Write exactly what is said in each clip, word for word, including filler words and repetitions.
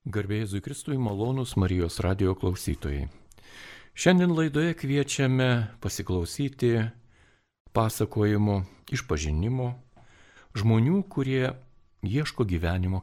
Garbė Jėzui Kristui, malonūs Marijos radijo klausytojai. Šiandien laidoje kviečiame pasiklausyti pasakojimo, išpažinimo žmonių, kurie ieško gyvenimo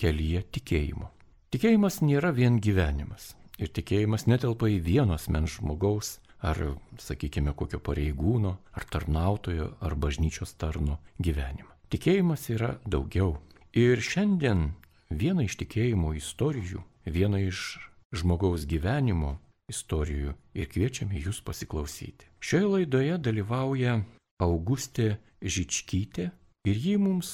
kelyje tikėjimo. Tikėjimas nėra vien gyvenimas. Ir tikėjimas netelpa į vieno asmens žmogaus, ar, sakykime, kokio pareigūno, ar tarnautojo, ar bažnyčios tarno gyvenimą. Tikėjimas yra daugiau. Ir šiandien viena iš tikėjimo istorijų, viena iš žmogaus gyvenimo istorijų ir kviečiame jūs pasiklausyti. Šioje laidoje dalyvauja Augustė Žičkytė ir ji mums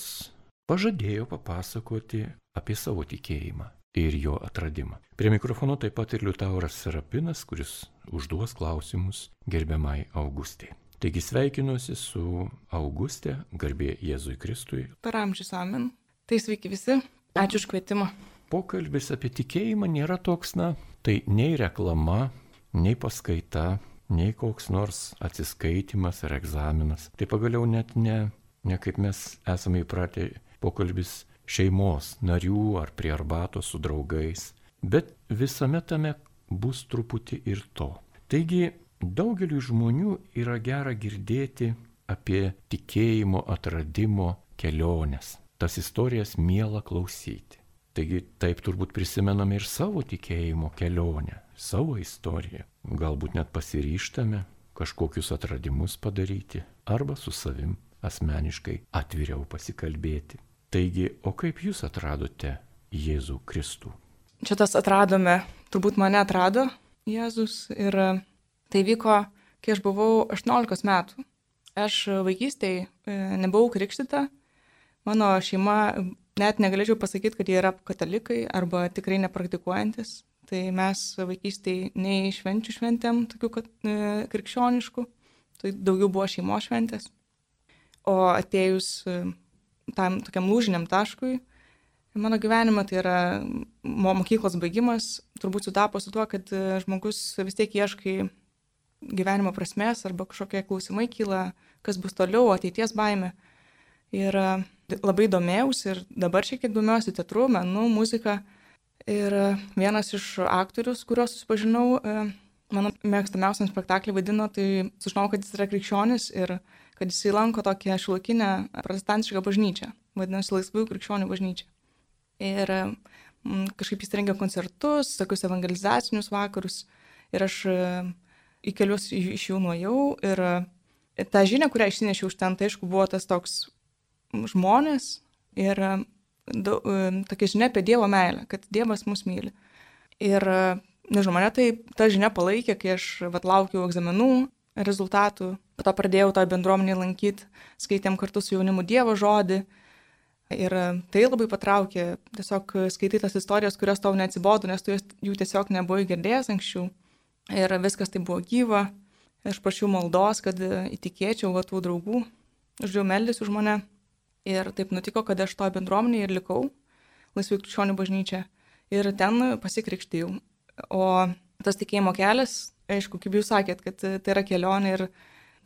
pažadėjo papasakoti apie savo tikėjimą ir jo atradimą. Prie mikrofono taip pat ir Liutauras Serapinas, kuris užduos klausimus gerbiamai Augustė. Taigi sveikinuosi su Augustė, garbė Jėzui Kristui. Per amžius amen. Tai sveiki visi. Ačiū už kvietimą. Pokalbis apie tikėjimą nėra toks, na, tai nei reklama, nei paskaita, nei koks nors atsiskaitimas ar egzaminas. Tai pagaliau net ne, ne kaip mes esame įpratę pokalbis šeimos narių ar prie arbatos su draugais, bet visame tame bus truputį ir to. Taigi daugeliu žmonių yra gera girdėti apie tikėjimo atradimo keliones. Tas istorijas miela klausyti. Taigi taip turbūt prisimename ir savo tikėjimo kelionę, savo istoriją. Galbūt net pasiryžtame kažkokius atradimus padaryti arba su savim asmeniškai atviriau pasikalbėti. Taigi, o kaip jūs atradote Jėzų Kristų? Čia tas atradome, turbūt mane atrado Jėzus ir tai vyko, kai aš buvau aštuoniolikos metų. Aš vaikystėje nebuvau krikštyta. Mano šeima, net negalėčiau pasakyti, kad jie yra katalikai arba tikrai nepraktikuojantis. Tai mes vaikystėje nei švenčių šventėm, tokių kad, e, krikščioniškų, tai daugiau buvo šeimos šventės. O atėjus e, tam tokiam lūžiniam taškui, mano gyvenime tai yra mokyklos baigimas, turbūt sutapo su tuo, kad žmogus vis tiek ieškai gyvenimo prasmės arba kažkokie klausimai kyla, kas bus toliau, ateities baimė. Ir labai domėjausi ir dabar šiek tiek domiuosi teatru, menu, muzika. Ir vienas iš aktorius, kuriuos susipažinau, mano mėgstamiausiam spektaklį vadino, tai sužinojau, kad jis yra krikščionis ir kad jis lanko tokią šiuolaikinę protestantišką bažnyčią, vadinasi Laisvųjų krikščionių bažnyčia. Ir kažkaip jis rengia koncertus, tokius evangelizacinius vakarus ir aš į kelius iš jų nuėjau ir tą žinią, kurią išsinešiau iš ten, tai aišku buvo tas toks žmonės ir da, tokia žinia apie Dievo meilę, kad Dievas mus myli. Ir, nežinau, mane tai ta žinia palaikė, kai aš vat, laukiau egzaminų rezultatų, po to pradėjau tą bendruomenį lankyti, skaitėm kartu su jaunimu Dievo žodį ir tai labai patraukė, tiesiog skaitai tas istorijas, kurios tau neatsibodo, nes tu jų tiesiog nebuvai girdėjęs anksčiau ir viskas tai buvo gyva. Aš prašiau maldos, kad įtikėčiau va, tų draugų, uždėjau meldys už mane. Ir taip nutiko, kad aš to bendruomenėje ir likau, Laisvųjų krikščionių bažnyčia, ir ten pasikrikštijau. O tas tikėjimo kelias, aišku, kaip jūs sakėt, kad tai yra kelionė ir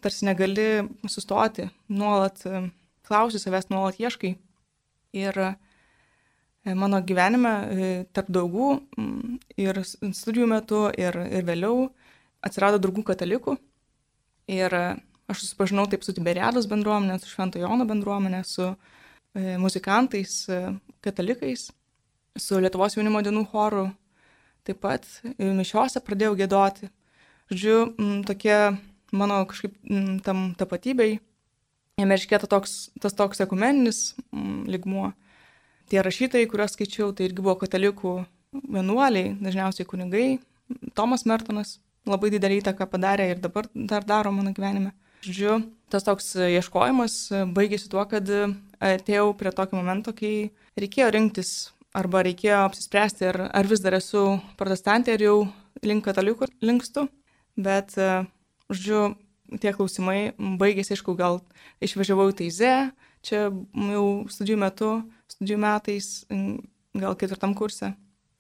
tarsi negali sustoti, nuolat klausi savęs, nuolat ieškai. Ir mano gyvenime tarp draugų ir studijų metu ir, ir vėliau atsirado draugų katalikų. Ir aš susipažinau taip su Tiberiados bendruomenė, su Švento Jono bendruomenė, su e, muzikantais, e, katalikais, su Lietuvos jaunimo dienų choru. Taip pat e, mišiose pradėjau giedoti. Žodžiu, m, tokie mano kažkaip m, tam tapatybei, jame iškėta toks, tas toks ekumeninis m, lygmuo. Tie rašytojai, kuriuos skaičiau, tai irgi buvo katalikų vienuoliai, dažniausiai kunigai. Tomas Mertonas labai didelį įtaką padarė ir dabar dar daro mano gyvenime. Žodžiu, tas toks ieškojimas baigėsi tuo, kad atėjau prie tokio momento, kai reikėjo rinktis arba reikėjo apsispręsti, ar, ar vis dar esu protestantė, ar jau link katalikų linkstu. Bet, žodžiu, tie klausimai baigėsi, aišku, gal išvažiavau į Taizę, čia jau studijų metu, studijų metais, gal ketvirtam kurse.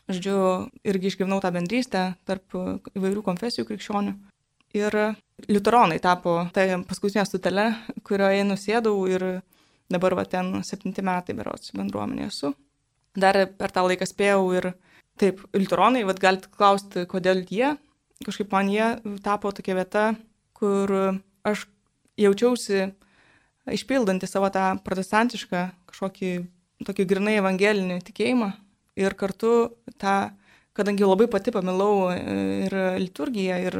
Žodžiu, irgi išgyvenau tą bendrystę tarp įvairių konfesijų krikščionių. Ir liuteronai tapo tai paskutinė stotelė, kurioje nusėdau ir dabar va ten septinti metai berods bendruomenėje esu. dar per tą laiką spėjau ir taip, liuteronai, vat galite klausti, kodėl jie, kažkaip man jie tapo tokia vieta, kur aš jaučiausi išpildanti savo tą protestantišką kažkokį tokį grinai evangelinį tikėjimą ir kartu tą, kadangi labai pati pamilau ir liturgiją, ir,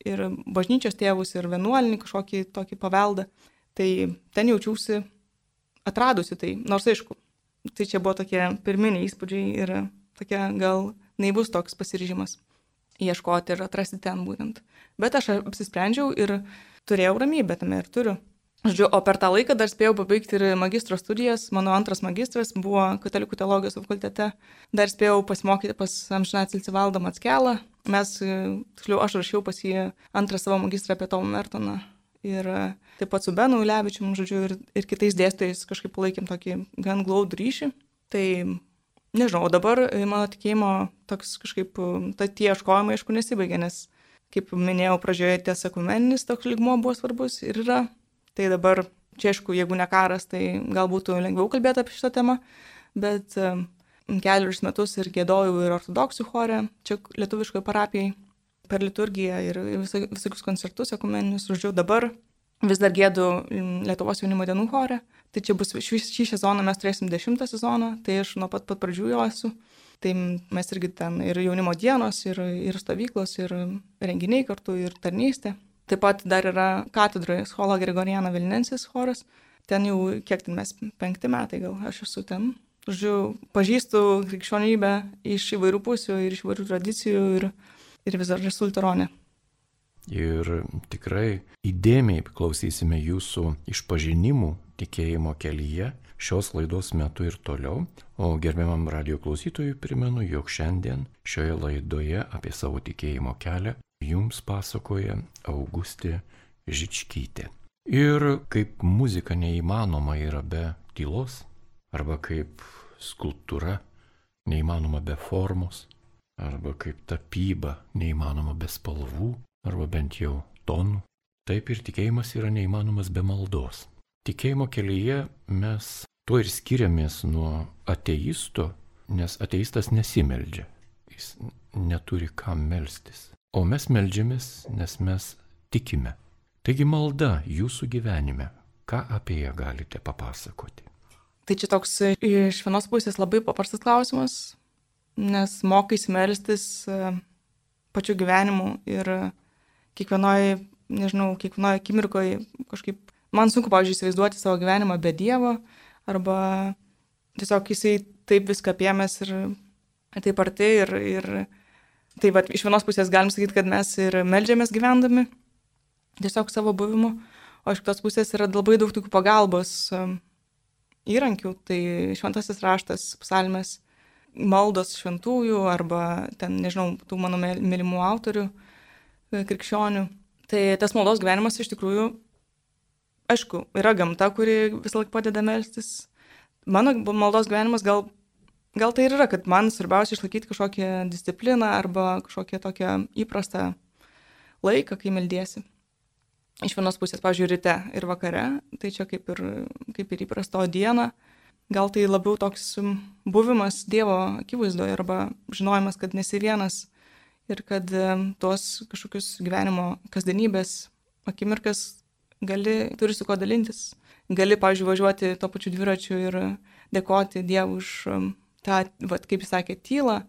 ir bažnyčios tėvus, ir vienuolinį kažkokį tokį paveldą, tai ten jaučiausi atradusi tai, nors aišku, tai čia buvo tokie pirminiai įspūdžiai ir tokia gal naivus toks pasiryžimas ieškoti ir atrasti ten būtent. Bet aš apsisprendžiau ir turėjau ramybę tame ir turiu. Žodžiu, o per tą laiką dar spėjau pabaigti ir magistro studijas. Mano antras magistras buvo katalikų teologijos fakultete. Dar spėjau pasimokyti pas amžinatilsį Valdą Mackelą. Mes, tiksliau, aš rašiau pas jį antrą savo magistrą apie Tomą Mertoną. Ir taip pat su Benu Ulevičium, žodžiu, ir, ir kitais dėstytojais kažkaip palaikėm tokį gan glaudų ryšį. Tai nežinau, o dabar mano tikėjimo toks kažkaip, ta tie ieškojimai, aišku, nesibaigė, nes, kaip minėjau pradžioje, ties ekumeninis toks lygmuo buvo svarbus ir yra. Tai dabar, čia aišku, jeigu ne karas, tai gal būtų lengviau kalbėti apie šitą temą, bet kelius metus ir giedojau ir ortodoksų chore, čia lietuviškoje parapijai, per liturgiją ir vis, visokius koncertus ekumeninius. Žodžiu, dabar vis dar gėdu Lietuvos jaunimo dienų chore. Tai čia bus šį, šį sezoną mes turėsim dešimtą sezoną, tai aš nuo pat pat pradžių jo esu. Tai mes irgi ten ir jaunimo dienos, ir, ir stovyklos, ir renginiai kartu, ir tarnystė. Taip pat dar yra katedroje Schola Gregoriana Vilnensis choras. Ten jau, kiek ten mes, penkti metai gal aš esu ten. Žodžiu, pažįstu krikščionybę iš įvairių pusių ir iš įvairių tradicijų ir, ir vis dar esu liuteronė. Ir tikrai įdėmiai klausysime jūsų išpažinimų tikėjimo kelyje šios laidos metu ir toliau. O gerbiamam radijo klausytojui primenu, jog šiandien šioje laidoje apie savo tikėjimo kelią jums pasakoja Augustė Žičkytė. Ir kaip muzika neįmanoma yra be tylos, arba kaip skulptūra neįmanoma be formos, arba kaip tapyba neįmanoma be spalvų, arba bent jau tonų, taip ir tikėjimas yra neįmanomas be maldos. Tikėjimo kelyje mes tuo ir skiriamės nuo ateisto, nes ateistas nesimeldžia, jis neturi kam melstis. O mes meldžiamės, nes mes tikime. Taigi malda jūsų gyvenime, ką apie ją galite papasakoti? Tai čia toks iš vienos pusės labai paprastas klausimas, nes mokaisi melstis pačiu gyvenimu ir kiekvienoje, nežinau, kiekvienoje akimirkoje kažkaip, man sunku, pavyzdžiui, įsivaizduoti savo gyvenimą be Dievo, arba tiesiog jisai taip viską apėmęs ir taip arti ir, ir tai va, iš vienos pusės galim sakyti, kad mes ir meldžiamės gyvendami, tiesiog savo buvimu, o iš kitos pusės yra labai daug tokių pagalbos įrankių, tai šventasis raštas, psalmės, maldos šventųjų arba ten, nežinau, tų mano mylimų autorių, krikščionių. Tai tas maldos gyvenimas iš tikrųjų, aišku, yra gamta, kuri visą laiką padeda melstis. Mano maldos gyvenimas gal Gal tai ir yra, kad man svarbiausia išlaikyti kažkokią discipliną arba kažkokią tokią įprastą laiką, kai meldiesi. Iš vienos pusės, pavyzdžiui, ryte ir vakare, tai čia kaip ir, kaip ir įprasto dieną. Gal tai labiau toks buvimas Dievo akivaizdoje arba žinojimas, kad nesi vienas ir kad tuos kažkokius gyvenimo kasdienybės akimirkas gali, turi su ko dalintis. Gali, pavyzdžiui, važiuoti to pačiu dviračiu ir dėkoti Dievui už tą, vat, kaip jis sakė, tylą,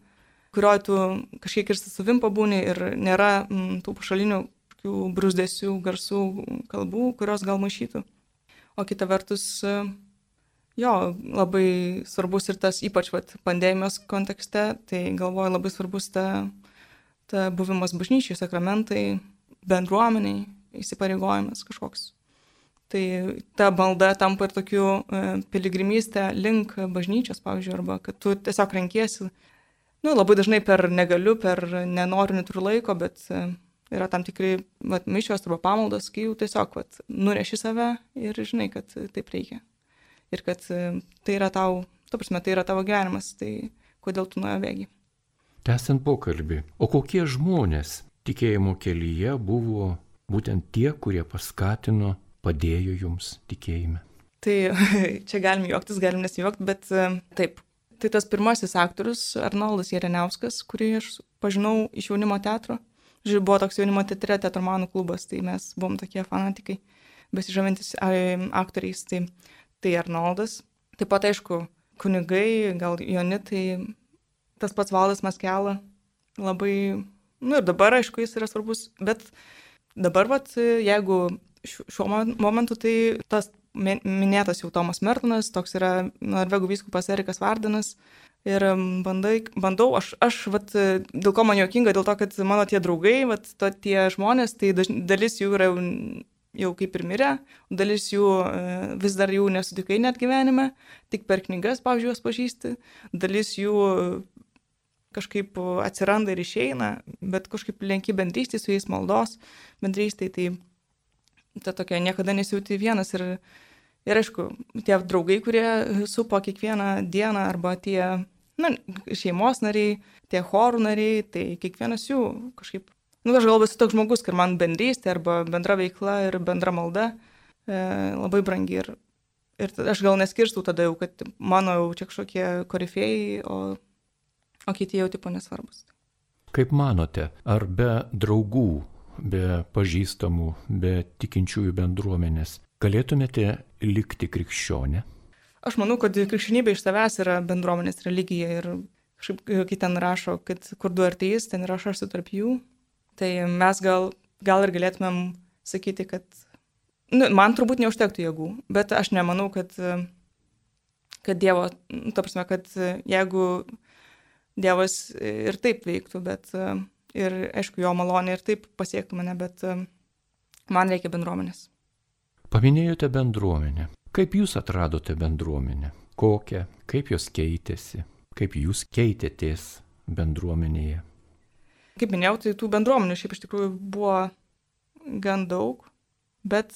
kurioje tu kažkiek ir su savim pabūni ir nėra m, tų pašalinių brūzdesių, garsų, kalbų, kurios gal maišytų. O kita vertus, jo, labai svarbus ir tas, ypač vat, pandemijos kontekste, tai galvoju labai svarbus ta, ta buvimas bažnyčiai, sakramentai, bendruomeniai, įsipareigojimas kažkoks. Tai ta malda tampa ir tokiu e, piligrimystė link bažnyčios, pavyzdžiui, arba kad tu tiesiog renkiesi, nu, labai dažnai per negaliu, per nenoriu, neturiu laiko, bet e, yra tam tikri vat, mišios arba pamaldos, kai jau tiesiog vat, nuneši save ir žinai, kad taip reikia. Ir kad e, tai yra tau, ta prasme, tai yra tavo gyvenimas, tai kodėl tu nuo jo bėgi. Tęsiant pokalbį, o kokie žmonės tikėjimo kelyje buvo būtent tie, kurie paskatino, padėjo jums tikėjime? Tai čia galim juoktis, galim nesijuokti, bet taip, Tai tas pirmasis aktorius, Arnoldas Jereniauskas, kurį aš pažinau iš jaunimo teatro. Žiūrėjau, buvo toks jaunimo teatre teatromanų klubas, tai mes buvom tokie fanatikai, besižavintis aktoriais, tai, tai Arnoldas. Taip pat, aišku, kunigai, gal Jonitai, tas pats Valdas Maskela, labai, nu ir dabar, aišku, jis yra svarbus, bet dabar, vat, jeigu šiuo momentu, tai tas minėtas jau Tomas Mertonas, toks yra norvegų vyskupas Erikas Vardenas. Ir bandai, bandau, aš, aš vat, dėl ko man juokinga, dėl to, kad mano tie draugai, vat, to, tie žmonės, tai daž, dalis jų yra jau kaip ir mirę, dalis jų vis dar jų nesutikai net gyvenime, tik per knygas, pavyzdžiui, juos pažįsti, dalis jų kažkaip atsiranda ir išeina, bet kažkaip lenki bendrystė su jais, maldos bendrystė, tai ta tokia niekada nesijauti vienas. Ir, ir aišku, tie draugai, kurie supo kiekvieną dieną, arba tie na, šeimos nariai, tie chorų nariai, tai kiekvienas jų kažkaip, nu aš galvoju, esu toks žmogus, kad man bendrystė arba bendra veikla ir bendra malda e, labai brangi. Ir, ir aš gal neskirstau tada jau, kad mano jau čia kažkokie korifėjai, o, o kiti jau tipo nesvarbus. Kaip manote, ar be draugų, be pažįstamų, be tikinčiųjų bendruomenės galėtumėte likti krikščionė? Aš manau, kad krikščionybė iš savęs yra bendruomenės religija ir kažkaip, kai ten rašo, kad kur du ar trys, ten yra aš esu tarp jų, tai mes gal, gal ir galėtumėm sakyti, kad nu, man turbūt neužtektų jėgų, bet aš nemanau, kad, kad Dievo, nu, ta prasme, kad jeigu Dievas ir taip veiktų, bet ir, aišku, jo malonė ir taip pasiektų mane, bet man reikia bendruomenės. Paminėjote bendruomenę. Kaip jūs atradote bendruomenę? Kokią? Kaip jos keitėsi? Kaip jūs keitėtės bendruomenėje? Kaip minėjau, tai tų bendruomenių šiaip iš tikrųjų buvo gan daug, bet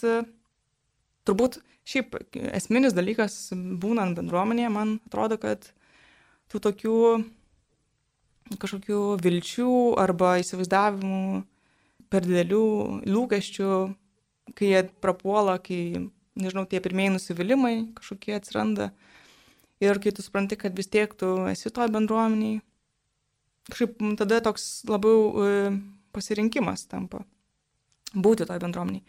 turbūt šiaip esminis dalykas būnant bendruomenėje, man atrodo, kad tų tokių kažkokių vilčių arba įsivaizdavimų, per didelių lūkesčių, kai jie prapuola, kai, nežinau, tie pirmieji nusivylimai kažkokie atsiranda ir kai tu supranti, kad vis tiek tu esi toj bendruomeniai, kažkaip tada toks labiau pasirinkimas tampa būti toj bendruomeniai.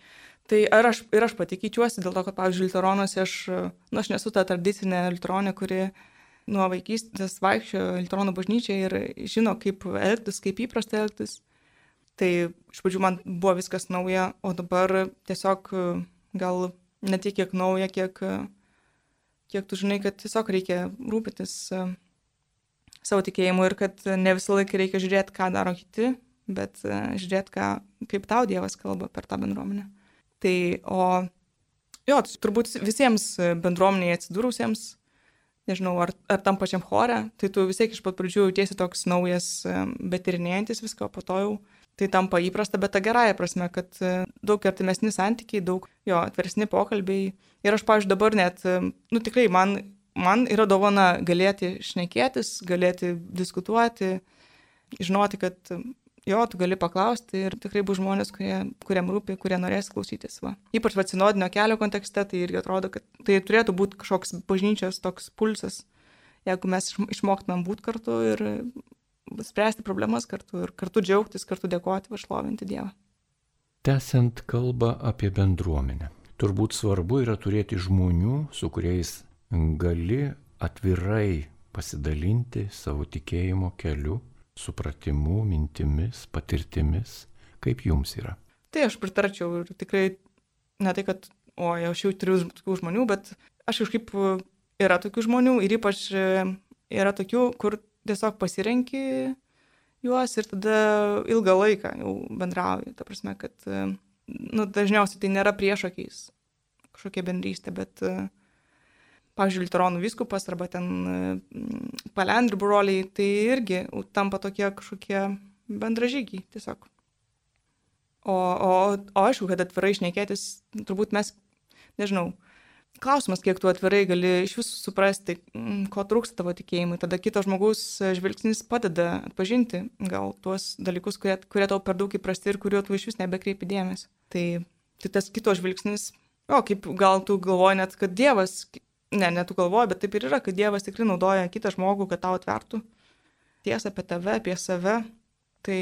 Tai ar aš, ir aš pati keičiuosi dėl to, kad, pavyzdžiui, liuteronuose aš, nu, aš nesu ta tradicinė liuteronė, kuri nuo vaikystės vaikščiojo liuteronų bažnyčiai ir žino, kaip elgtis, kaip įprasta elgtis. Tai iš pradžių man buvo viskas nauja, o dabar tiesiog gal ne tiek kiek nauja, kiek, kiek tu žinai, kad tiesiog reikia rūpintis savo tikėjimu ir kad ne visą laiką reikia žiūrėti, ką daro kiti, bet žiūrėti, ką, kaip tau Dievas kalba per tą bendruomenę. Tai, o jo, turbūt visiems bendruomeniai atsidūrusiems, nežinau, ar, ar tam pačiam chore, tai tu vis tiek iš pat pradžių jautiesi toks naujas, bet tyrinėjantis viską, po to jau tai tampa įprasta, bet ta gerąja prasme, kad daug artimesni santykiai, daug jo atveresni pokalbiai. Ir aš, pavyzdžiui, dabar net, nu tikrai, man, man yra dovana galėti šnekėtis, galėti diskutuoti, žinoti, kad jo, tu gali paklausti ir tikrai bus žmonės, kurie, kuriam rūpi, kurie norės klausytis. Va. Ypač va, sinodinio kelio kontekste, tai irgi atrodo, kad tai turėtų būti kažkoks bažnyčios toks pulsas, jeigu mes išmoktumėm būti kartu ir spręsti problemas kartu ir kartu džiaugtis, kartu dėkoti, šlovinti Dievą. Tęsiant kalbą apie bendruomenę. Turbūt svarbu yra turėti žmonių, su kuriais gali atvirai pasidalinti savo tikėjimo keliu, supratimu, mintimis, patirtimis. Kaip jums yra? Tai aš pritarčiau ir tikrai ne tai, kad o, aš jau turiu tokių žmonių, bet aš kažkaip yra tokių žmonių ir ypač yra tokių, kur tiesiog pasirenki juos ir tada ilgą laiką jau bendrauji. Ta prasme, kad nu, dažniausiai tai nėra priešakiais kažkokia bendrystė, bet, pavyzdžiui, liuteronų vyskupas arba ten palendrių broliai, tai irgi tampa tokie kažkokie bendražygiai tiesiog. O, o, o aišku, kad atvirai šnekėtis, turbūt mes, nežinau, klausimas, kiek tu atvirai gali iš visų suprasti, ko trūksta tavo tikėjimui. Tada kito žmogaus žvilgsnis padeda atpažinti gal tuos dalykus, kurie, kurie tau per daug įprasti ir kuriuo tu iš vis nebekreipi dėmesį. Tai, tai tas kito žvilgsnis, o kaip gal tu galvoji net, kad Dievas ne, ne tu galvoji, bet taip ir yra, kad Dievas tikrai naudoja kitą žmogų, kad tau atvertų tiesą apie tave, apie save. Tai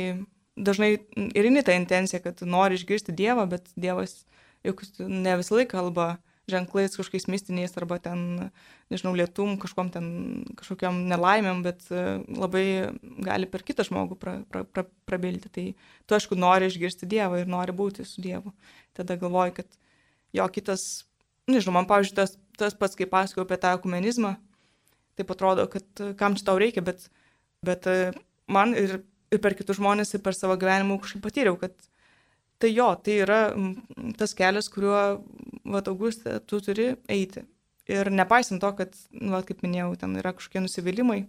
dažnai ir eini tą intenciją, kad nori išgirsti Dievą, bet Dievas juk ne visą laiką kalba ženklais kažkokiais mistiniais arba ten, nežinau, lietum, kažkom ten, kažkokiam nelaimėm, bet labai gali per kitą žmogų pra, pra, pra, prabilti. Tai tu, aišku, nori išgirsti Dievą ir nori būti su Dievu. Tada galvoji, kad jo kitas, nežinau, man, pavyzdžiui, tas, tas pats, kai pasakojau apie tą ekumenizmą, taip atrodo, kad kam čia tau reikia, bet, bet man ir, ir per kitus žmonės, ir per savo gyvenimą kažkaip patyriau, kad tai jo, tai yra tas kelias, kuriuo, va, Auguste, tu turi eiti. Ir nepaisant to, kad, va, kaip minėjau, ten yra kažkokie nusivylimai,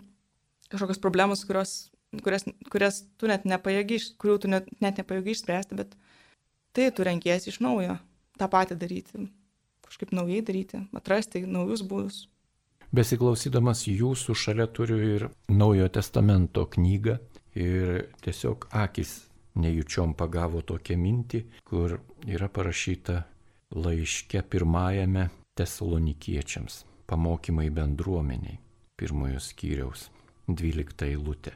kažkokios problemos, kurios, kurias, kurias tu net nepajėgi, kurių tu net, net nepajėgi išspręsti, bet tai tu renkiesi iš naujo tą patį daryti, kažkaip naujai daryti, atrasti naujus būdus. Besiklausydamas jūsų šalia turiu ir Naujojo testamento knygą ir tiesiog akis nejučiom pagavo tokią mintį, kur yra parašyta laiške pirmajame Tesalonikiečiams, pamokymai bendruomeniai, pirmojo skyriaus, dvylikta eilutė.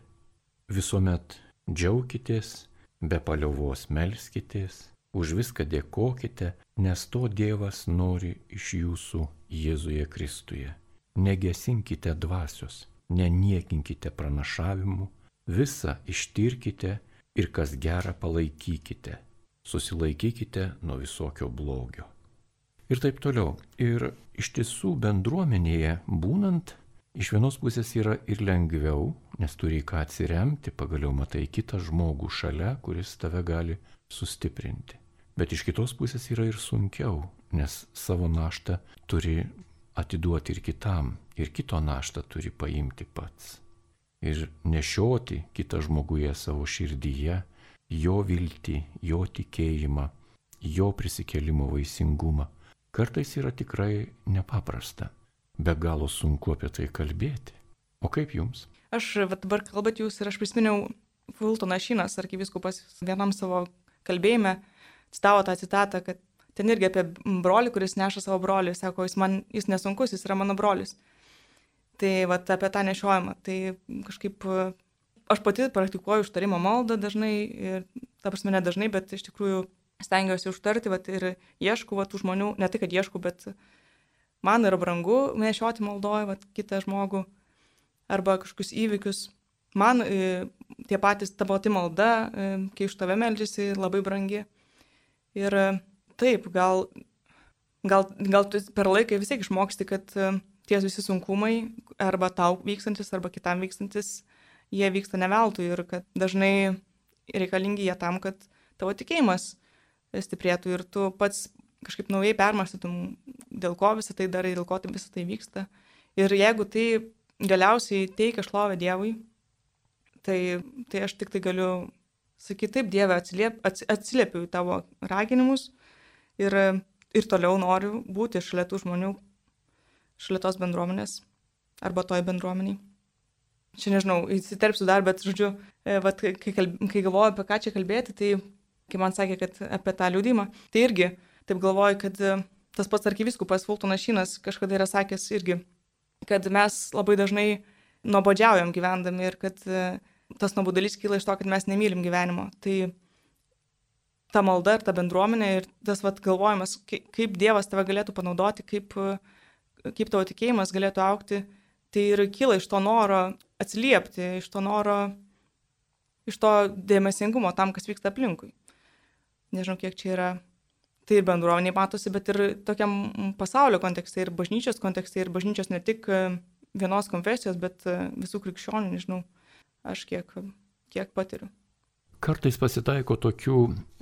Visuomet džiaukitės, be paliovos melskitės, už viską dėkokite, nes to Dievas nori iš jūsų Jėzuje Kristuje. Negesinkite dvasios, neniekinkite pranašavimų, visą ištirkite ir kas gera palaikykite, susilaikykite nuo visokio blogio. Ir taip toliau. Ir iš tiesų bendruomenėje būnant, iš vienos pusės yra ir lengviau, nes turi ką atsiremti, pagaliau matai kitą žmogų šalia, kuris tave gali sustiprinti. Bet iš kitos pusės yra ir sunkiau, nes savo naštą turi atiduoti ir kitam, ir kito naštą turi paimti pats. Ir nešioti kitą žmoguje savo širdyje, jo viltį, jo tikėjimą, jo prisikėlimo vaisingumą. Kartais yra tikrai nepaprasta, be galo sunku apie tai kalbėti. O kaip jums? Aš va, dabar kalbat jūs ir aš prisiminiau Fultonas Šynas, arkivyskupas, vienam savo kalbėjime citavo tą citatą, kad ten irgi apie brolį, kuris neša savo brolį, sako, jis man, jis nesunkus, jis yra mano brolis. Tai vat, apie tą nešiojimą. Tai kažkaip aš pati praktikuoju užtarimo maldą dažnai, ir ta prasme ne dažnai, bet iš tikrųjų stengiuosi užtarti vat, ir ieškau vat, tų žmonių, ne tai, kad ieškau, bet man yra brangu nešioti maldoje vat, kitą žmogų arba kažkokius įvykius. Man e, tie patys ta pati malda, e, kai už tave meldžiasi, labai brangi. Ir e, taip, gal, gal, gal tu per laiką vis tiek išmoksti, kad e, tie visi sunkumai, arba tau vykstantis, arba kitam vykstantis, jie vyksta ne veltui ir kad dažnai reikalingi jie tam, kad tavo tikėjimas stiprėtų ir tu pats kažkaip naujai permąstytum, dėl ko visą tai darai, dėl ko tai visą tai vyksta. Ir jeigu tai galiausiai teikia šlovę Dievui, tai, tai aš tik tai galiu sakyti, taip, Dieve, atsiliep, ats, atsiliepiu į tavo raginimus ir, ir toliau noriu būti šalia tų žmonių, šalia tos bendruomenės arba toj bendruomeniai. Čia nežinau, įsiterpsiu dar, bet žodžiu, vat, kai, kalb, kai galvoju apie ką čia kalbėti, tai kai man sakė, kad apie tą liudymą, tai irgi taip galvoju, kad tas pats arkivyskupas Fultonas Šynas kažkada yra sakęs irgi, kad mes labai dažnai nuobodžiaujam gyvendami ir kad tas nuobodulys kyla iš to, kad mes nemylim gyvenimo. Tai ta malda ir ta bendruomenė ir tas vat, galvojimas, kaip Dievas tave galėtų panaudoti, kaip, kaip tavo tikėjimas galėtų augti, tai ir kyla iš to noro atsiliepti, iš to noro, iš to dėmesingumo tam, kas vyksta aplinkui. Nežinau, kiek čia yra, tai ir bendruomeniai matosi, bet ir tokiam pasaulio kontekste, ir bažnyčios kontekste, ir bažnyčios ne tik vienos konfesijos, bet visų krikščionių, nežinau, aš kiek, kiek patiriu. Kartais pasitaiko tokių,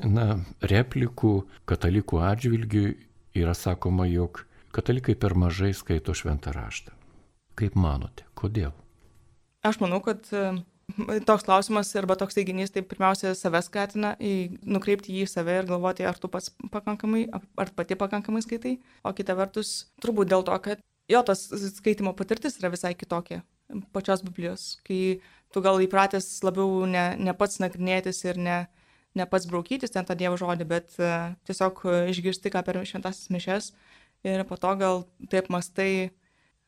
na, replikų katalikų atžvilgių, yra sakoma, jog katalikai per mažai skaito šventą raštą. Kaip manote, kodėl? Aš manau, kad toks klausimas arba toks teiginys, tai pirmiausia save skatina į, nukreipti jį į save ir galvoti, ar tu pats pakankamai, ar pati pakankamai skaitai. O kita vertus, turbūt dėl to, kad jo tas skaitimo patirtis yra visai kitokia pačios Biblijos. Kai tu gal įpratęs labiau ne, ne pats nagrinėtis ir ne, ne pats braukytis ten tą Dievo žodį, bet uh, tiesiog išgirsti ką per šventasis mišias ir po to gal taip mastai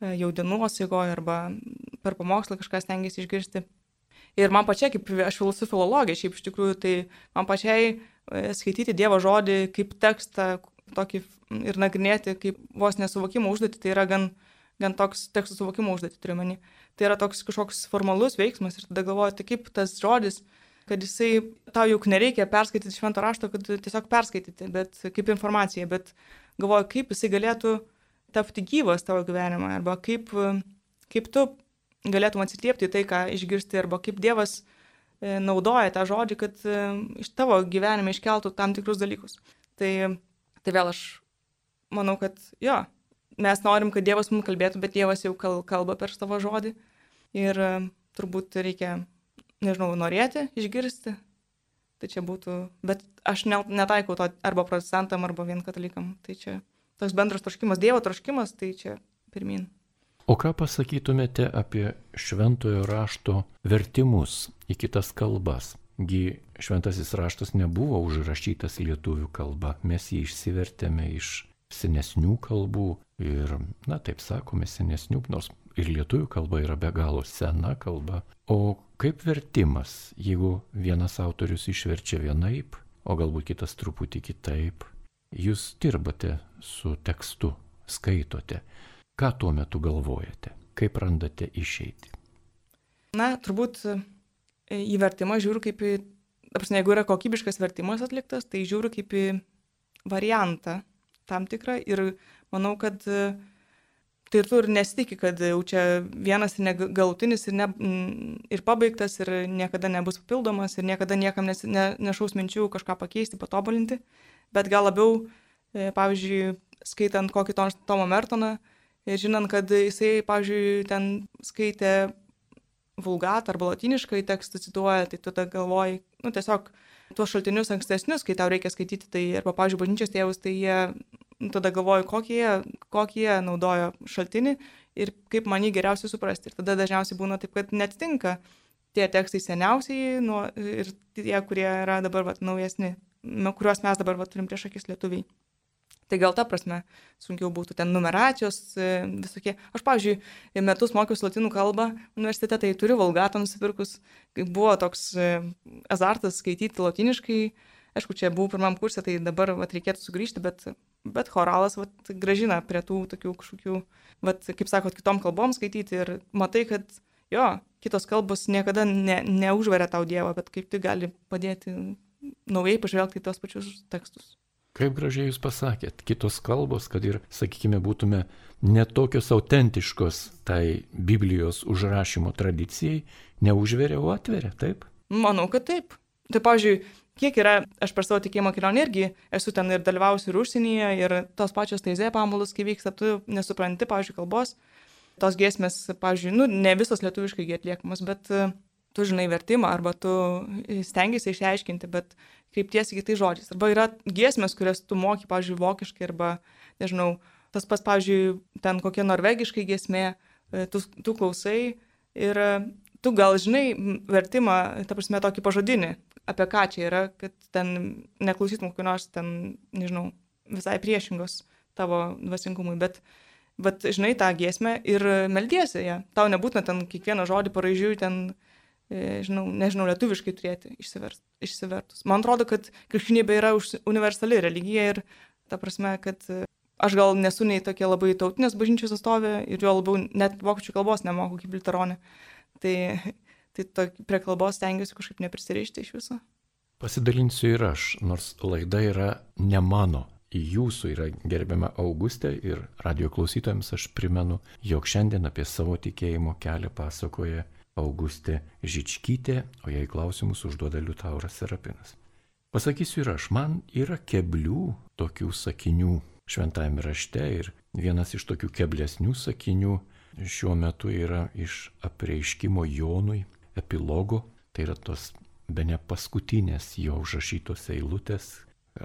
jau dienos eigoje arba per pamokslą kažką stengiasi išgirsti. Ir man pačiai, kaip aš esu filologė, šiaip iš tikrųjų, tai man pačiai skaityti Dievo žodį kaip tekstą tokį ir nagrinėti kaip vos nesuvokimo užduotį, tai yra gan, gan toks tekstų suvokimo užduotį, turiu meni. Tai yra toks kažkoks formalus veiksmas ir tada galvoju, tai kaip tas žodis, kad jisai, tau juk nereikia perskaityti švento rašto, kad tiesiog perskaityti, bet kaip informacija, bet galvoju, kaip jisai galėtų tapti gyvas tavo gyvenimą, arba kaip, kaip tu galėtum atsiliepti tai, ką išgirsti, arba kaip Dievas naudoja tą žodį, kad iš tavo gyvenime iškeltų tam tikrus dalykus. Tai, tai vėl aš manau, kad jo, mes norim, kad Dievas mums kalbėtų, bet Dievas jau kalba per savo žodį ir turbūt reikia, nežinau, norėti, išgirsti. Tai čia būtų, bet aš netaikau to arba protestantam, arba vien katalikam. Tai čia toks bendras troškimas, Dievo troškimas, tai čia pirmin. O ką pasakytumėte apie šventojo rašto vertimus į kitas kalbas? Gi šventasis raštas nebuvo užrašytas lietuvių kalba, mes jį išsivertėme iš senesnių kalbų ir, na taip sakome, senesnių, nors ir lietuvių kalba yra be galo sena kalba. O kaip vertimas, jeigu vienas autorius išverčia vienaip, o galbūt kitas truputį kitaip, jūs dirbate su tekstu, skaitote. Ką tuo metu galvojate? Kaip randate išeitį? Na, turbūt į vertimą žiūriu kaip į, apsne, jeigu yra kokybiškas vertimas atliktas, tai žiūriu kaip į variantą tam tikrą ir manau, kad tai tu ir nesitiki, kad jau čia vienas ir galutinis ir, ne, ir pabaigtas ir niekada nebus papildomas ir niekada niekam nes, ne, nešaus minčių kažką pakeisti, patobulinti, bet gal labiau, pavyzdžiui, skaitant kokį Tomą Mertoną, ir žinant, kad jisai, pavyzdžiui, ten skaitė vulgatą arba lotyniškai tekstą cituoja, tai tada galvoji, nu tiesiog tuos šaltinius ankstesnius, kai tau reikia skaityti, tai arba, pavyzdžiui, bažnyčios tėvus, tai jie, nu, tada galvoji, kokį jie, kokį jie naudojo šaltinį ir kaip man jį geriausiai suprasti. Ir tada dažniausiai būna taip, kad neatitinka tie tekstai seniausiai nu, ir tie, kurie yra dabar vat, naujesni, kuriuos mes dabar vat, turim prieš akis lietuviai. Tai gal ta prasme sunkiau būtų ten numeracijos visokie. Aš, pavyzdžiui, metus mokiausi lotynų kalbą universitete, tai turiu vulgatą nusipirkus. Buvo toks azartas skaityti lotyniškai. Aišku, čia buvau pirmam kursė, tai dabar vat, reikėtų sugrįžti, bet, bet choralas vat, gražina prie tų tokių kažkokių, vat, kaip sakot, kitom kalbom skaityti. Ir matai, kad jo, kitos kalbos niekada ne, neužveria tau Dievą, bet kaip tai gali padėti naujai pažvelgti į tos pačius tekstus. Kaip gražiai jūs pasakėt, kitos kalbos, kad ir, sakykime, būtume netokios autentiškos tai Biblijos užrašymo tradicijai, neužveria, o atveria, taip? Manau, kad taip. Tai, pavyzdžiui, kiek yra, aš per savo tikėjimo kelionę irgi esu ten ir dalyvausiu ir užsienyje, ir tos pačios taizė pamaldos, kai vyksta, tu nesupranti, pavyzdžiui, kalbos. Tos giesmės, pavyzdžiui, nu, ne visos lietuviškai atliekamos, bet tu žinai vertimą, arba tu stengiasi išsiaiškinti, bet kreiptiesi kitais žodžiais. Arba yra giesmės, kurias tu moki, pavyzdžiui, vokiškai, arba, nežinau, tas pas, pavyzdžiui, ten kokia norvegiškai giesmė, tu, tu klausai ir tu gal žinai vertimą, ta prasme, tokį pažodinį, apie ką čia yra, kad ten neklausytum kokio nors ten, nežinau, visai priešingos tavo dvasingumui, bet, bet žinai tą giesmę ir meldiesi ją. Tau nebūtina ten kiekvieną žodį paraižiui ten, žinau, nežinau, lietuviškai turėti išsivertus. Man atrodo, kad krikščionybė yra universali religija ir ta prasme, kad aš gal nesu nei tokia labai tautinės bažnyčios atstovė ir jo labiau net vokiečių kalbos nemoku kaip liuteronė. Tai, tai to, prie kalbos stengiuosi kažkaip neprisirišti iš viso. Pasidalinsiu ir aš, nors laida yra ne mano. Jūsų yra gerbiama Augustė ir radijo klausytojams aš primenu, jog šiandien apie savo tikėjimo kelią pasakoja Augustė Žičkytė, o jai klausimus užduoda Liutauras Serapinas. Pasakysiu ir aš, man yra keblių tokių sakinių šventajame rašte ir vienas iš tokių keblesnių sakinių šiuo metu yra iš apreiškimo Jonui epilogo, tai yra tos bene paskutinės jo užrašytos eilutės,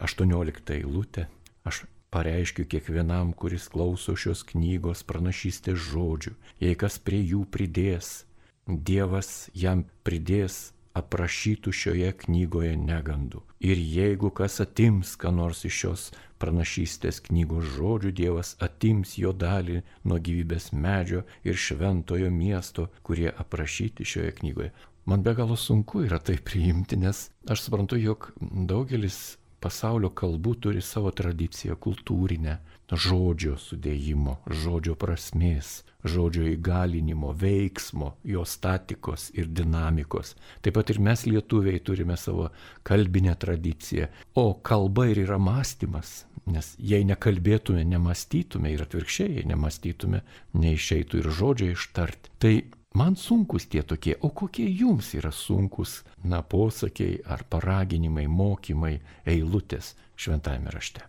aštuoniolikta eilutė. Aš pareiškiu kiekvienam, kuris klauso šios knygos pranašystės žodžių, jei kas prie jų pridės, Dievas jam pridės aprašytų šioje knygoje negandų. Ir jeigu kas atims, ką nors iš šios pranašystės knygos žodžių, Dievas atims jo dalį nuo gyvybės medžio ir šventojo miesto, kurie aprašyti šioje knygoje. Man be galo sunku yra tai priimti, nes aš suprantu, jog daugelis pasaulio kalbų turi savo tradiciją kultūrinę, žodžio sudėjimo, žodžio prasmės, žodžio įgalinimo, veiksmo, jo statikos ir dinamikos. Taip pat ir mes lietuviai turime savo kalbinę tradiciją. O kalba ir yra mąstymas, nes jei nekalbėtume, nemąstytume ir atvirkščiai, jei nemąstytume, neišeitų ir žodžio ištarti. Tai man sunkus tie tokie, o kokie jums yra sunkus, na, posakiai ar paraginimai, mokymai, eilutės šventajame rašte?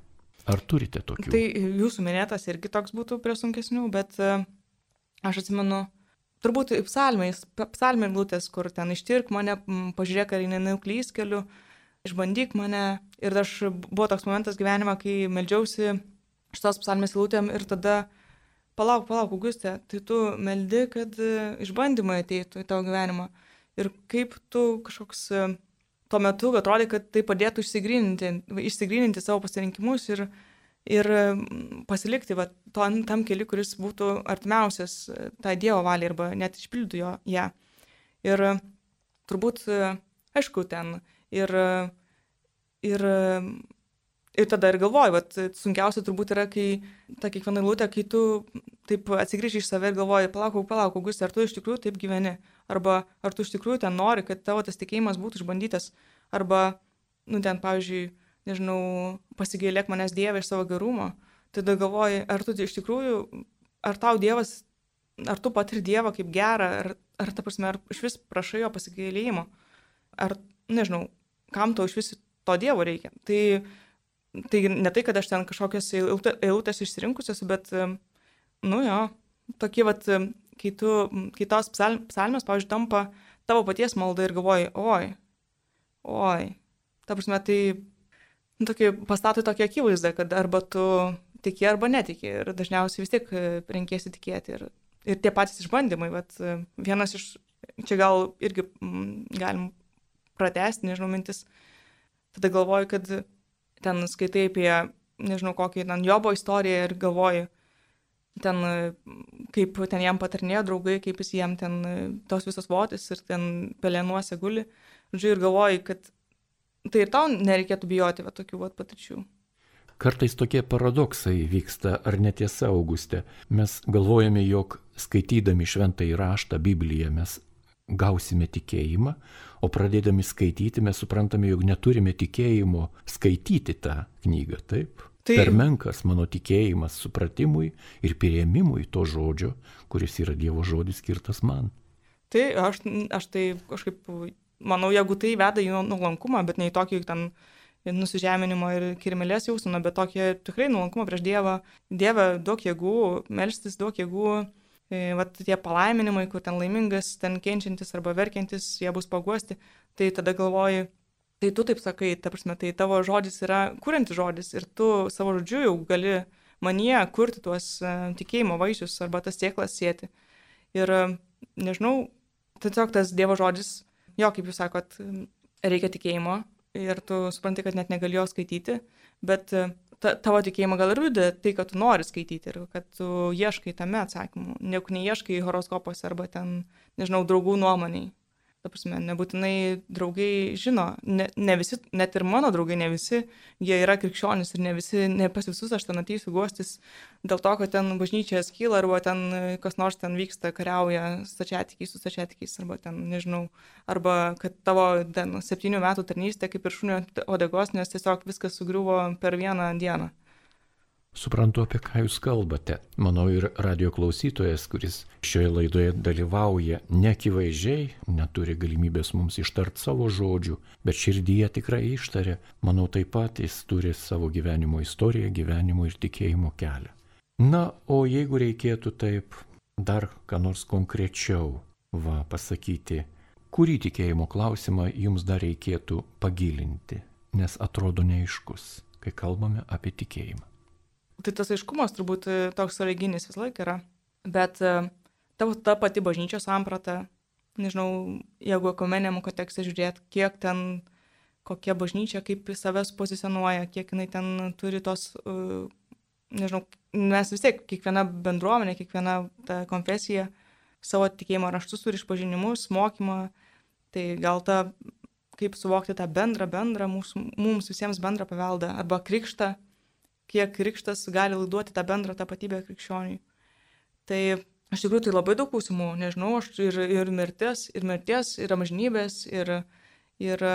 Ar turite tokių? Tai jūsų minėtas irgi toks būtų prie sunkesnių, bet uh, aš atsimenu, turbūt psalmės, psalmė eilutės, kur ten ištirk mane, pažiūrėk, ar nenuklys keliu, išbandyk mane. Ir aš buvo toks momentas gyvenime, kai meldžiausi šitos psalmės eilutėm ir tada Palauk, palauk, Augustė, tai tu meldi, kad išbandymai ateitų į tavo gyvenimą. Ir kaip tu kažkoks tuo metu atrodė, kad tai padėtų išsigryninti, išsigryninti savo pasirinkimus ir, ir pasilikti va, to, tam keliu, kuris būtų artimiausias tai Dievo valiai arba net išpildytų jo ją. Ir turbūt, aišku, ten ir, ir Ir tada ir galvoju, vat, sunkiausia turbūt yra, kai ta kiekviena eilutė, kai tu taip atsigrįži iš save ir galvoji, palauk, palauk, Augustė, ar tu iš tikrųjų taip gyveni? Arba ar tu iš tikrųjų ten nori, kad tavo tas tikėjimas būtų išbandytas? Arba, nu ten, pavyzdžiui, nežinau, pasigailėk manęs Dieve iš savo gerumo. Tada galvoji, ar tu iš tikrųjų, ar tau Dievas, ar tu patiri Dievą kaip gerą, ar, ar ta prasme, ar iš vis prašai jo pasigailėjimo? Ar, nežinau, kam tau iš vis to Dievo reikia? Tai Tai ne tai, kad aš ten kažkokias eilutės išsirinkusios, bet, nu jo, tokie, vat, kai, tu, kai tos psalmės, pavyzdžiui, tampa tavo paties malda ir galvoji, oi, oi, ta prasme, tai nu, tokie, pastatai tokia akivaizda, kad arba tu tiki arba netiki ir dažniausiai vis tiek renkėsi tikėti. Ir, ir tie patys išbandymai, vat, vienas iš, čia gal irgi m, galim pratęsti, nežinau, mintis, tada galvoju, kad ten skaitai apie, nežinau, kokį ten Jobo istoriją ir galvoji, ten, kaip ten jam patarnėjo draugai, kaip jis jam ten tos visos votis ir ten pelėnuose guli. Žodžiu, ir galvoji, kad tai ir tau nereikėtų bijoti va, tokių va, patirčių. Kartais tokie paradoksai vyksta, ar netiesa, Augustė. Mes galvojame, jog skaitydami šventąjį raštą, Bibliją, mes gausime tikėjimą, o pradėdami skaityti mes suprantame, jog neturime tikėjimo skaityti tą knygą, taip? Tai per menkas mano tikėjimas supratimui ir priėmimui to žodžio, kuris yra Dievo žodis skirtas man. Tai aš, aš tai kažkaip, manau, jeigu tai veda į nuolankumą, bet ne į tokį ten nusižeminimo ir kirmelės jausmą, bet tokį tikrai nuolankumą prieš Dievą. Dieve, duok jėgų, melstis, duok jėgų. Vat tie palaiminimai, kur ten laimingas, ten kenčiantis arba verkiantis, jie bus paguosti, tai tada galvoji, tai tu taip sakai, ta prasme, tai tavo žodis yra kuriantis žodis ir tu savo žodžiu jau gali manyje kurti tuos uh, tikėjimo vaisius arba tas sėklas sėti. Ir uh, nežinau, tiesiog tas Dievo žodis, jo, kaip jūs sakot, reikia tikėjimo ir tu supranti, kad net negali jo skaityti, bet uh, Ta, tavo tikėjimą gal ir liudija tai, kad tu nori skaityti ir kad tu ieškai tame atsakymų, negu neieškai horoskopuose arba ten, nežinau, draugų nuomoniai. Ta prasme, nebūtinai draugai žino, ne, ne visi, net ir mano draugai, ne visi, jie yra krikščionys ir ne visi, ne pas visus aš ten ateisiu guostis dėl to, kad ten bažnyčia skyla arba ten kas nors ten vyksta, kariauja stačiatikiais su stačiatikiais arba ten, nežinau, arba kad tavo ten septynių metų tarnystė kaip ir šunio uodegos, nes tiesiog viskas sugriuvo per vieną dieną. Suprantu, apie ką jūs kalbate. Manau, ir radio klausytojas, kuris šioje laidoje dalyvauja, neakivaizdžiai neturi galimybės mums ištart savo žodžių, bet širdyje tikrai ištarė. Manau, taip pat jis turi savo gyvenimo istoriją, gyvenimo ir tikėjimo kelią. Na, o jeigu reikėtų taip dar ką nors konkrečiau va, pasakyti, kurį tikėjimo klausimą jums dar reikėtų pagilinti, nes atrodo neaiškus, kai kalbame apie tikėjimą. Tai tas aiškumas turbūt toks sąlyginis visą laiką yra, bet tavo ta pati bažnyčios samprata, nežinau, jeigu ekumeniniam kontekste žiūrėt, kiek ten, kokia bažnyčia, kaip savęs pozicionuoja, kiek jinai ten turi tos, uh, nežinau, mes vis tiek, kiekviena bendruomenė, kiekviena ta konfesija savo tikėjimo raštus turi išpažinimus, mokymą, tai gal ta, kaip suvokti tą bendrą, bendrą, mūsų, mums visiems bendrą paveldą, arba krikštą, kiek krikštas gali laiduoti tą bendrą tapatybę krikščioniui. Tai iš tikrųjų tai labai daug klausimų, nežinau, aš ir, ir mirtis, ir mirties, ir amžinybės, ir, ir,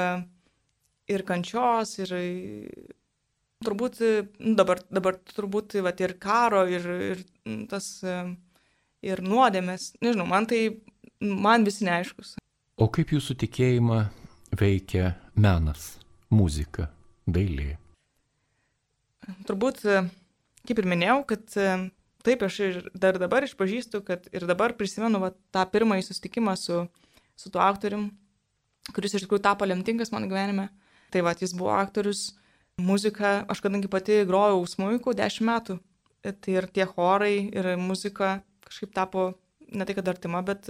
ir kančios, ir turbūt, nu, dabar, dabar turbūt vat, ir karo, ir, ir tas, ir nuodėmės, nežinau, man tai, man visi neaiškus. O kaip jūsų tikėjimą veikia menas, muzika, dailė? Turbūt, kaip ir minėjau, kad taip aš ir dar dabar išpažįstu, kad ir dabar prisimenu va, tą pirmąjį susitikimą su, su tuo aktorium, kuris iš tikrųjų tapo lemtingas mano gyvenime. Tai va, jis buvo aktorius, muzika, aš kadangi pati grojau smuiku dešimt metų, tai ir tie chorai, ir muzika kažkaip tapo ne tai kad artima, bet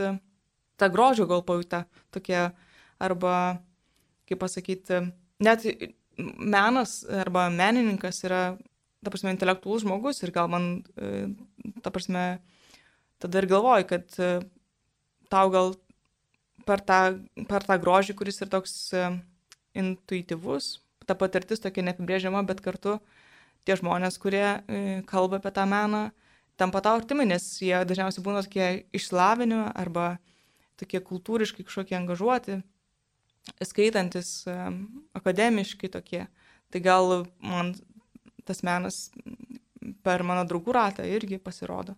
ta grožio gal pajūta tokia, arba, kaip pasakyti, net menas arba menininkas yra, ta prasme, intelektualus žmogus ir gal man, ta prasme, tada ir galvoju, kad tau gal per tą, per tą grožį, kuris ir toks intuityvus, ta patirtis tokia neapibrėžiama, bet kartu tie žmonės, kurie kalba apie tą meną, tampa tau artimi, nes jie dažniausiai būna tokie išsilavinę arba tokie kultūriškai kažkokie angažuoti, skaitantis, akademiškai tokie. Tai gal man tas menas per mano draugų ratą irgi pasirodo.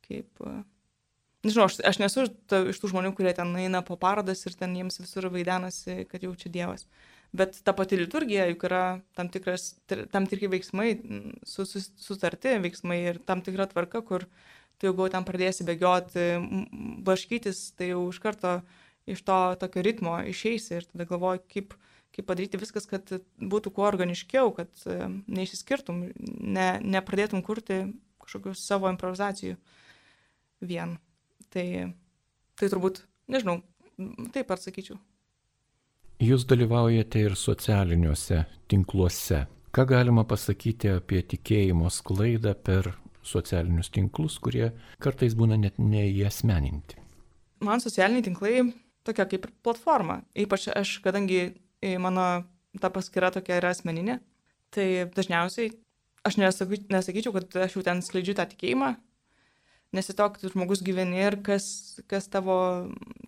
Kaip, nežinau, aš, aš nesu ta, iš tų žmonių, kurie ten eina po parodas ir ten jiems visur vaidenasi, kad jau čia Dievas. Bet ta pati liturgija juk yra tam, tikras, tam tikri veiksmai, su, su, sutarti veiksmai ir tam tikra tvarka, kur tu jau ten pradėsi bėgioti, blaškytis, tai jau iš karto iš to tokio ritmo išeisi ir tada galvoji, kaip, kaip padaryti viskas, kad būtų kuo organiškiau, kad neišsiskirtum, ne, nepradėtum kurti kažkokių savo improvizacijų vien. Tai, tai turbūt, nežinau, taip atsakyčiau. Jūs dalyvaujate ir socialiniuose tinkluose. Ką galima pasakyti apie tikėjimo sklaidą per socialinius tinklus, kurie kartais būna net neįasmeninti? Man socialiniai tinklai tokia kaip ir platforma. Ypač aš, kadangi mano ta paskyra tokia yra asmeninė, tai dažniausiai aš nesaky, nesakyčiau, kad aš jau ten skleidžiu tą tikėjimą, nes tiesiog žmogus gyveni ir kas, kas tavo,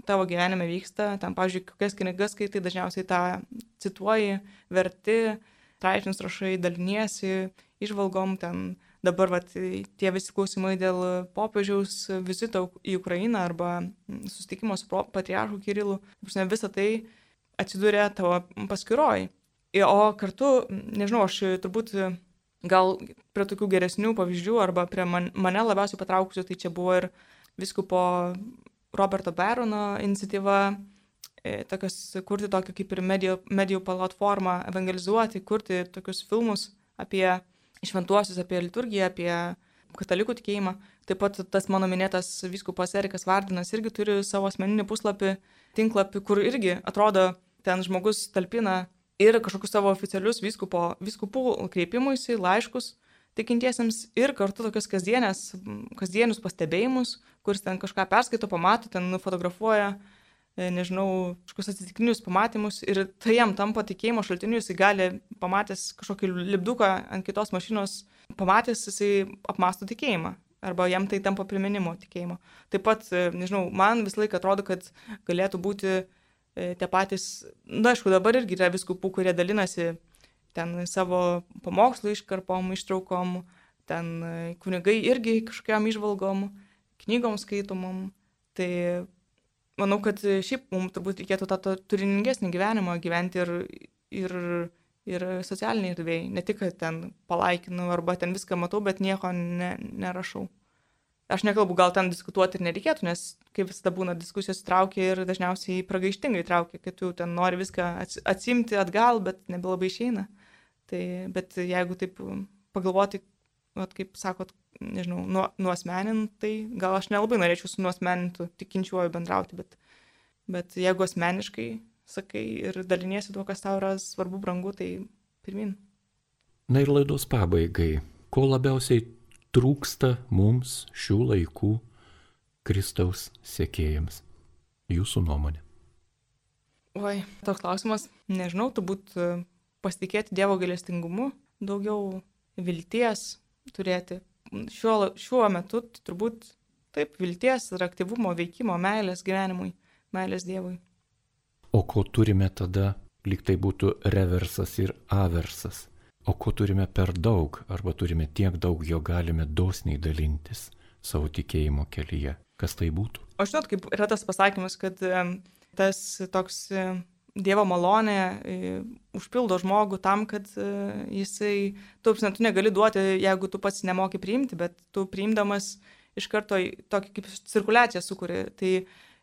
tavo gyvenime vyksta. Ten, pavyzdžiui, kokias knygas skaitai, dažniausiai tą cituoji, verti, straipsnius rašai, daliniesi, išvalgom ten. Dabar vat, tie visi klausimai dėl popiežiaus vizito į Ukrainą arba susitikimo su patriarchu Kirilu, visą tai atsidūrė tavo paskyroj. O kartu, nežinau, aš turbūt gal prie tokių geresnių pavyzdžių arba prie man, mane labiausiai patraukusių, tai čia buvo ir vyskupo Roberto Barono iniciatyva, e, tokios, kurti tokią kaip ir medijų, medijų platformą, evangelizuoti, kurti tokius filmus apie šventuosius, apie liturgiją, apie katalikų tikėjimą. Taip pat tas mano minėtas vyskupas Erikas Vardinas irgi turi savo asmeninį puslapį, tinklapį, kur irgi atrodo ten žmogus talpina ir kažkokius savo oficialius vyskupo, vyskupų kreipimuisi, laiškus tikintiesiems ir kartu tokius kasdienės, kasdienius pastebėjimus, kuris ten kažką perskaito, pamato, ten nufotografuoja, nežinau, kažkokius atsitiktinius pamatymus ir tai jam tampa tikėjimo šaltiniu, jisai gali, pamatęs kažkokį lipduką ant kitos mašinos, pamatęs, jisai apmąsto tikėjimą arba jam tai tampa priminimu tikėjimo. Taip pat, nežinau, man visą laiką atrodo, kad galėtų būti tie patys, na, aišku, dabar irgi yra vyskupų, kurie dalinasi ten savo pamokslų iškarpom, ištraukom, ten kunigai irgi kažkokiam išvalgom, knygom skaitomom. Tai manau, kad šiaip mums turbūt reikėtų tą turiningesnį gyvenimą gyventi ir, ir, ir socialiniai erdvėjai. Ne tik, kad ten palaikinu arba ten viską matau, bet nieko ne, nerašau. Aš nekalbu, gal ten diskutuoti ir nereikėtų, nes kaip visada būna diskusijos traukia ir dažniausiai pragaištingai traukia, kad tu ten nori viską atsimti atgal, bet nebelabai išeina. Tai, bet jeigu taip pagalvoti, vat, kaip sakot, nežinau, nuo, nuosmenint, tai gal aš nelabai norėčiau su nuosmenintu tikinčiuoju bendrauti, bet Bet jeigu asmeniškai sakai ir daliniesi tuo, kas tau yra svarbu, brangu, tai pirmin. Na ir laidos pabaigai, ko labiausiai trūksta mums šių laikų Kristaus sekėjams? Jūsų nuomonė. Oi, toks klausimas, nežinau, turbūt pasitikėti Dievo gailestingumu, daugiau vilties turėti. Šiuo, šiuo metu turbūt taip, vilties ir aktyvumo, veikimo, meilės gyvenimui, meilės Dievui. O ko turime tada, lyg tai būtų reversas ir aversas? O ko turime per daug, arba turime tiek daug, jo galime dosniai dalintis savo tikėjimo kelyje? Kas tai būtų? O žinot, kaip yra tas pasakymas, kad tas toks Dievo malonė užpildo žmogų tam, kad jisai, tu, tu negali duoti, jeigu tu pats nemoki priimti, bet tu priimdamas iš karto tokį kaip cirkuliaciją sukuri. Tai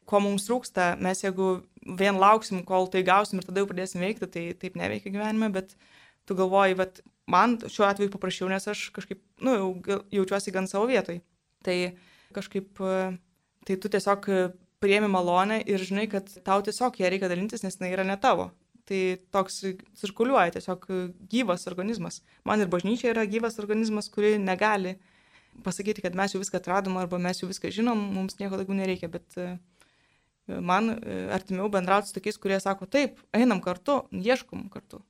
ko mums trūksta, mes jeigu vien lauksim, kol tai gausim ir tada jau pradėsim veikti, tai taip neveikia gyvenime, bet tu galvoji, bet man šiuo atveju paprašiau, nes aš kažkaip, nu, jaučiuosi gan savo vietoj. Tai kažkaip, tai tu tiesiog priemi malonę ir žinai, kad tau tiesiog ją reikia dalintis, nes jinai yra ne tavo. Tai toks cirkuliuoja tiesiog gyvas organizmas. Man ir bažnyčia yra gyvas organizmas, kuri negali pasakyti, kad mes jau viską atradom arba mes jau viską žinom, mums nieko daugiau nereikia, bet man artimiau bendrauti su tokiais, kurie sako, taip, einam kartu, ieškom kartu.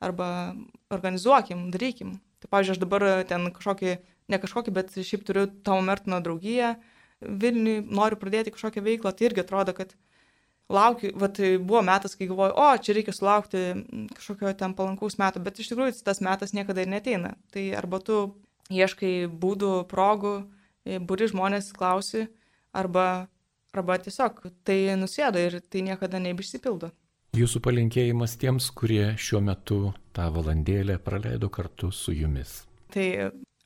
Arba organizuokim, darykim. Tai, pavyzdžiui, aš dabar ten kažkokį, ne kažkokį, bet šiaip turiu Tomo Mertono draugiją Vilniui, noriu pradėti kažkokią veiklą, tai irgi atrodo, kad laukiu, vat buvo metas, kai galvoju, o, čia reikia sulaukti kažkokio ten palankaus meto, bet iš tikrųjų tas metas niekada ir neteina. Tai arba tu ieškai būdų, progų, buri žmonės klausi, arba, arba tiesiog tai nusėda ir tai niekada nebeišsipildo. Jūsų palinkėjimas tiems, kurie šiuo metu tą valandėlę praleido kartu su jumis. Tai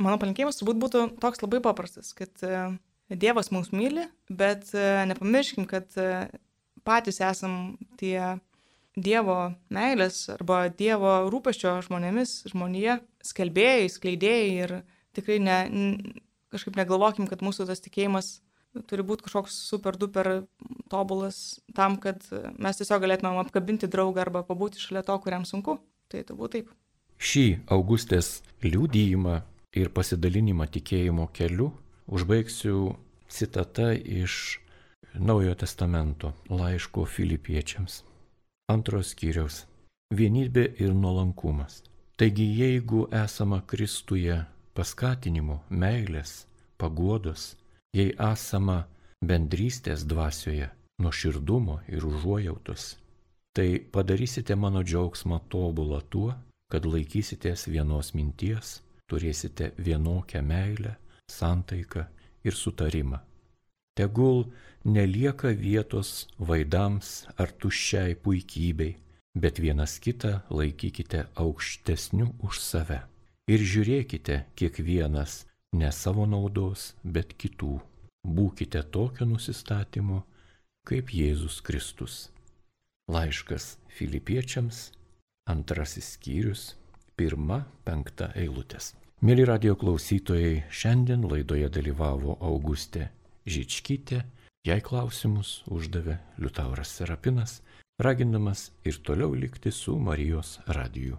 mano palinkėjimas turbūt būtų toks labai paprastas, kad Dievas mus myli, bet nepamirškim, kad patys esam tie Dievo meilės arba Dievo rūpesčio žmonėmis, žmonėje, skelbėjai, skleidėjai ir tikrai ne, kažkaip negalvokim, kad mūsų tas tikėjimas turi būti kažkoks super duper tobulas tam, kad mes tiesiog galėtumėm apkabinti draugą arba pabūti šalia to, kuriam sunku. Tai turbūt taip. Šį Augustės liudijimą ir pasidalinimą tikėjimo keliu užbaigsiu citata iš Naujojo testamento laiško Filipiečiams. Antros skyriaus. Vienybė ir nuolankumas. Taigi jeigu esama Kristuje paskatinimo, meilės, paguodos, jei esama bendrystės dvasioje, nuoširdumo ir užuojautos, tai padarysite mano džiaugsmą tobulą tuo, kad laikysitės vienos minties, turėsite vienokią meilę, santaiką ir sutarimą. Tegul nelieka vietos vaidams ar tuščiai puikybei, bet vienas kitą laikykite aukštesniu už save. Ir žiūrėkite kiekvienas ne savo naudos, bet kitų. Būkite tokio nusistatymo, kaip Jėzus Kristus. Laiškas Filipiečiams, antrasis skyrius, pirma, penkta eilutės. Mėly radijo klausytojai, šiandien laidoje dalyvavo Augustė Žičkytė, jai klausimus uždavė Liutauras Serapinas, ragindamas ir toliau likti su Marijos radiju.